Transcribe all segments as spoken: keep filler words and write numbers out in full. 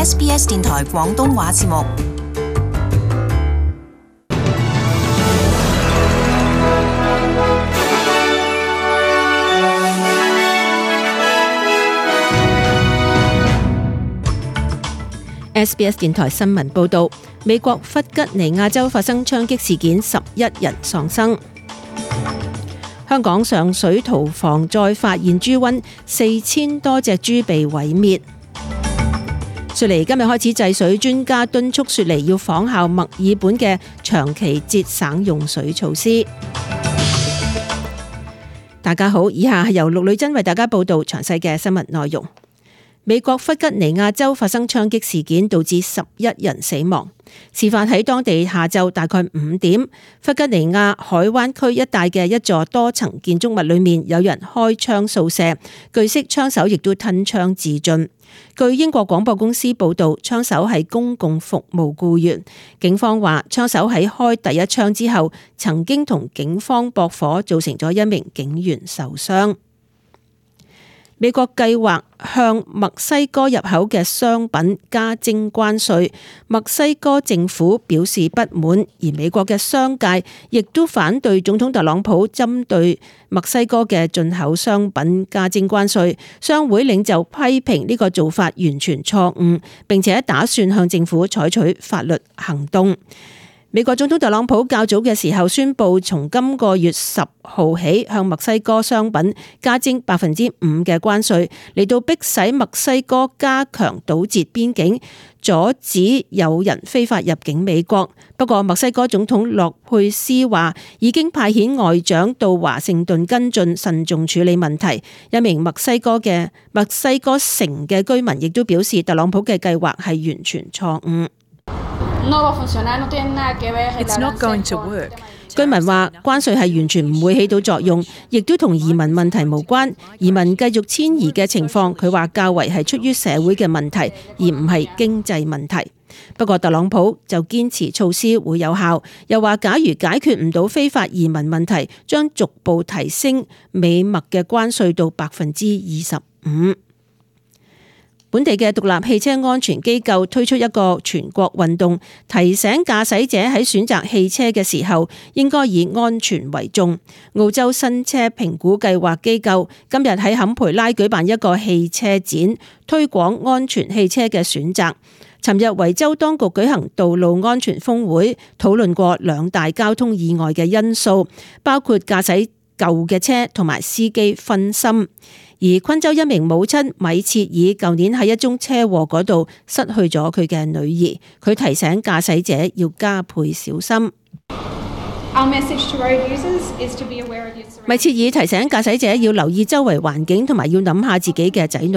S B S 電台廣東話節目。S B S 電台新聞報道，美國弗吉尼亞州發生槍擊事件，十一人喪生。香港上水屠房再發現豬瘟，四千多隻豬被毀滅。雪梨今日開始制水，專家敦促雪梨要仿效墨爾本嘅長期節省用水措施。大家好，以下係由陸女珍為大家報道詳細嘅新聞內容。美國弗吉尼亞州發生槍擊事件，導致十一人死亡。事發喺當地下晝大概五點，弗吉尼亞海灣區一帶嘅一座多層建築物裏面，有人開槍掃射，據悉槍手亦都吞槍自盡。據英國廣播公司報道，槍手係公共服務僱員。警方話，槍手喺開第一槍之後，曾經同警方駁火，造成咗一名警員受傷。美國計劃向墨西哥入口嘅商品加徵關稅，墨西哥政府表示不滿，而美國嘅商界亦都反對總統特朗普針對墨西哥嘅進口商品加徵關稅。商會領袖批評呢個做法完全錯誤，並且打算向政府採取法律行動。美國總統特朗普較早嘅時候宣布，從今個月十號起向墨西哥商品加徵百分之五嘅關稅，嚟到迫使墨西哥加強堵截邊境，阻止有人非法入境美國。不過，墨西哥總統洛佩斯話已經派遣外長到華盛頓跟進，慎重處理問題。一名墨西哥嘅墨西哥城嘅居民亦都表示，特朗普嘅計劃係完全錯誤。It's not going to work. 居民話關稅係完全唔會起到作用，亦都同移民問題無關。移民繼續遷移嘅情況，佢話較為係出於社會嘅問題，而唔係經濟問題。不過特朗普就堅持措施會有效，又話假如解決唔到非法移民問題，將逐步提升美墨嘅關稅到百分之二十五。本地嘅獨立汽車安全機構推出一個全國運動，提醒駕駛者喺選擇汽車嘅時候應該以安全為重。澳洲新車評估計劃機構今日喺坎培拉舉辦一個汽車展，推廣安全汽車嘅選擇。尋日維州當局舉行道路安全峰會，討論過兩大交通意外嘅因素，包括駕駛舊嘅車同埋司機分心。而昆州一名母親米切爾舊年喺一宗車禍嗰度失去咗佢嘅女兒，佢提醒駕駛者要加倍小心。米切爾提醒駕駛者要留意周圍環境，同埋要諗下自己嘅仔女。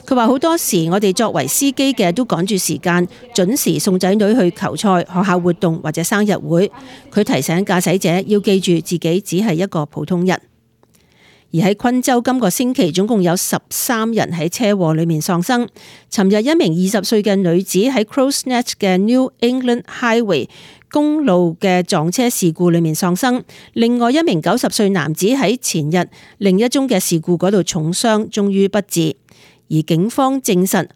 佢話好多時我哋作為司機嘅都趕住時間，準時送仔女去球賽、學校活動或者生日會。佢提醒駕駛者要記住自己只係一個普通人。而喺昆州今個星期總共有十三人喺車禍裏面喪生。尋日一名二十歲嘅女子喺 Crows Nest 嘅 New England Highway 公路嘅撞車事故裏面喪生，另外一名九十歲男子喺前日另一宗嘅事故嗰度重傷，終於不治。而警方證實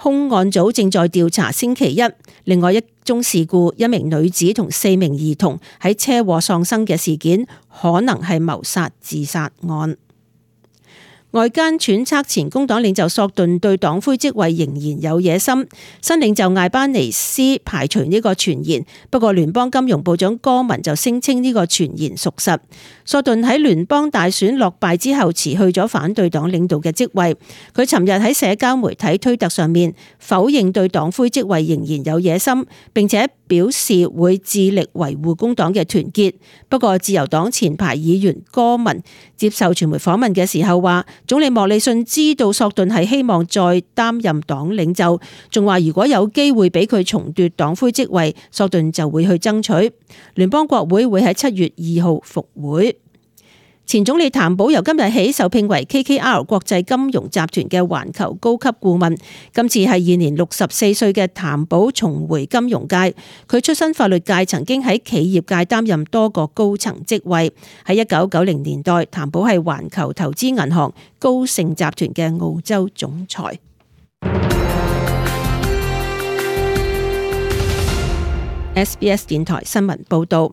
兇案組正在調查星期一另外一宗事故，一名女子同四名兒童喺車禍喪生嘅事件，可能係謀殺自殺案。外間揣測前工黨領袖索頓對黨魁職位仍然有野心，新領袖艾班尼斯排除呢個傳言，不過聯邦金融部長戈文就聲稱呢個傳言屬實。索頓喺聯邦大選落敗之後辭去咗反對黨領導嘅職位，佢尋日喺社交媒體推特上面否認對黨魁職位仍然有野心，並且表示會致力維護工黨嘅團結。不過自由黨前排議員戈文接受傳媒訪問嘅時候話，總理莫里遜知道索頓係希望再擔任黨領袖，仲話如果有機會俾佢重奪黨魁職位，索頓就會去爭取。聯邦國會會喺七月二號復會。前總理譚寶由今日起受聘為 K K R 國際金融集團嘅環球高級顧問。今次係現年六十四歲嘅譚寶重回金融界。佢出身法律界，曾經喺企業界擔任多個高層職位。喺一九九零年代，譚寶係環球投資銀行高盛集團嘅澳洲總裁。S B S 電台新聞報導。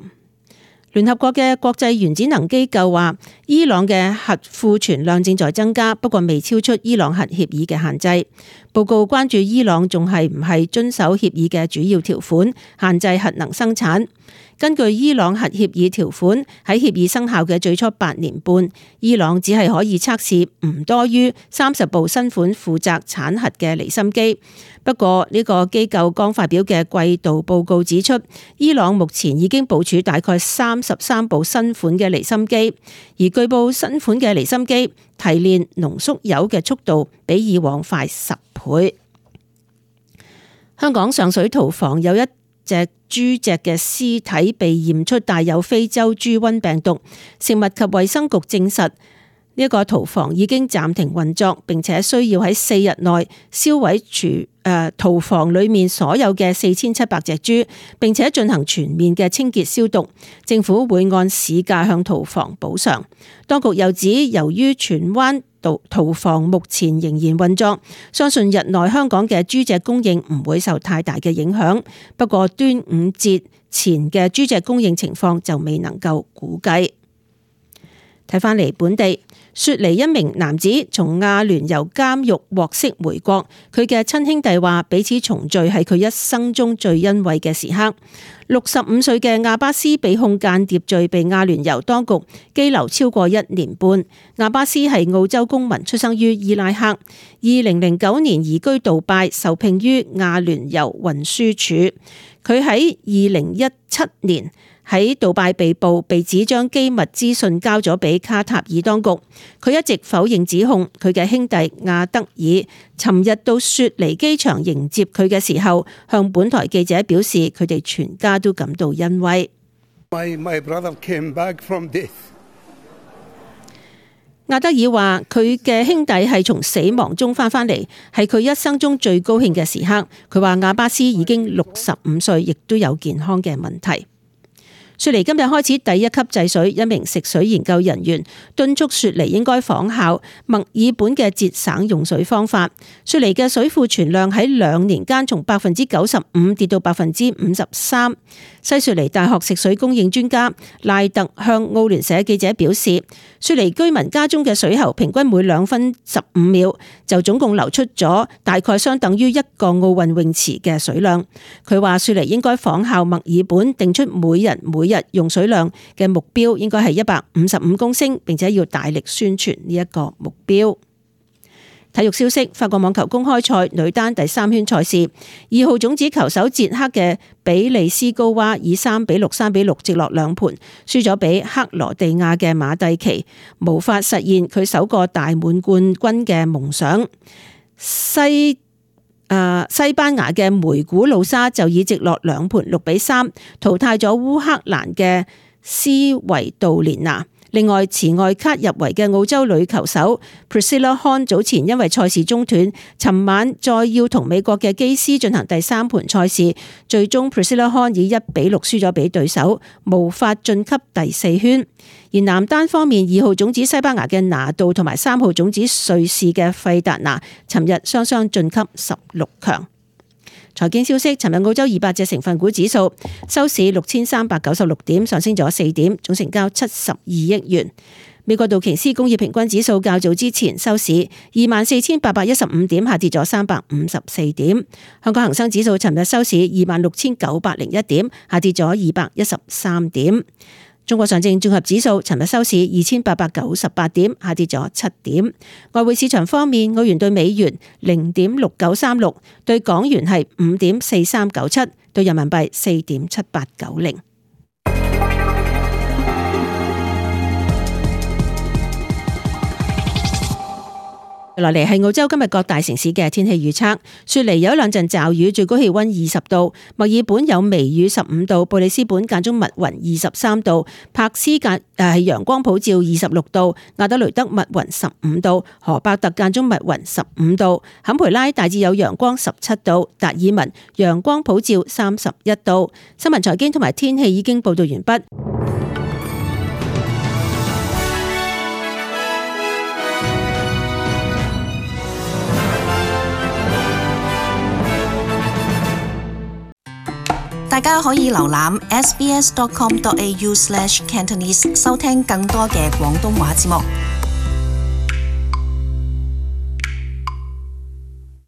聯合國嘅國際原子能機構話，伊朗嘅核庫存量正在增加，不過未超出伊朗核協議嘅限制。報告關注伊朗仲係唔係遵守協議嘅主要條款，限制核能生產。根據伊朗核協議條款，喺協議生效嘅最初八年半，伊朗只係可以測試唔多於三十部新款負責產核嘅離心機。不過呢個機構剛發表嘅季度報告指出，伊朗目前已經部署大概三十三部新款嘅離心機，而據報新款嘅離心機提煉濃縮鈾嘅速度比以往快十倍。香港上水屠房有一隻豬隻嘅屍體被驗出帶有非洲豬瘟病毒，食物及衛生局證實呢一個屠房已經暫停運作，並且需要喺四日內銷毀廚誒屠房裏面所有嘅四千七百隻豬，並且進行全面嘅清潔消毒。政府會按市價向屠房補償。當局又指，由於荃灣屠房目前仍然運作，相信日內香港嘅豬隻供應唔會受太大嘅影響。不過端午節前嘅豬隻供應情況就未能夠估計。睇返嚟本地，雪梨一名男子從阿聯酋監獄獲釋回國，佢嘅親兄弟話彼此重聚係佢一生中最欣慰嘅時刻。六十五歲嘅阿巴斯被控間諜罪，被阿聯酋當局羈留超過一年半。阿巴斯係澳洲公民，出生於伊拉克，二零零九年移居杜拜，受聘於阿聯酋運輸署。佢喺二零一七年喺杜拜被捕，被指將機密資訊交咗俾卡塔爾當局。佢一直否認指控。佢嘅兄弟亞德爾尋日到雪梨機場迎接佢嘅時候，向本台記者表示，佢哋全家都感到欣慰。My, my brother came back from death. 亞德爾話：佢嘅兄弟係從死亡中翻返嚟，係佢一生中最高興嘅時刻。佢話亞巴斯已經六十五歲，亦都有健康嘅問題。雪梨今日開始第一級制水，一名食水研究人員敦促雪梨應該仿效墨爾本嘅節省用水方法。雪梨嘅水庫存量喺兩年間從百分之九十五跌到百分之五十三。西雪梨大學食水供應專家賴特向澳聯社記者表示，雪梨居民家中嘅水喉平均每兩分十五秒就總共流出咗大概相等於一個奧運泳池嘅水量。佢話雪梨應該仿效墨爾本，定出每人每日用水量嘅目標應該係一百五十五公升，並且要大力宣傳呢一個目標。體育消息：法國網球公開賽女單第三圈賽事，二號種子球手捷克嘅比利斯高娃以三比六、三比六直落兩盤，輸咗俾克羅地亞嘅馬蒂奇，無法實現佢首個大滿貫軍嘅夢想。西誒西班牙嘅梅古魯莎就以直落兩盤六比三淘汰咗烏克蘭嘅斯維杜連娜。另外，持外卡入圍嘅澳洲女球手 Priscilla Hon 早前因為賽事中斷，尋晚再要同美國嘅基斯進行第三盤賽事，最終 Priscilla Hon 以一比六輸咗俾對手，無法晉級第四圈。而男單方面，二號種子西班牙嘅拿度同埋三號種子瑞士嘅費達拿，尋日雙雙晉級十六強。財經消息：尋日澳洲二百隻成分股指數收市六千三百九十六點，上升咗四點，總成交七十二億元。美國道瓊斯工業平均指數較早之前收市二萬四千八百一十五點，下跌咗三百五十四點。香港恒生指數尋日收市二萬六千九百零一點，下跌咗二百一十三點。中國上證綜合指數尋日收市二千八百九十八點，下跌咗七點。外匯市場方面，澳元對美元零點六九三六，對港元係五點四三九七，對人民幣四點七八九零。落嚟係澳洲今日各大城市嘅天氣預測。雪梨有一兩陣驟雨，最高氣溫二十度；墨爾本有微雨十五度；布里斯本間中密雲二十三度；柏斯間誒係陽光普照二十六度；亞德雷德密雲十五度；荷伯特間中密雲十五度；坎培拉大致有陽光十七度；達爾文陽光普照三十一度。新聞財經同埋天氣已經報道完畢。大家可以瀏覽 s b s dot com dot a u slash cantonese 收聽更多嘅廣東話節目。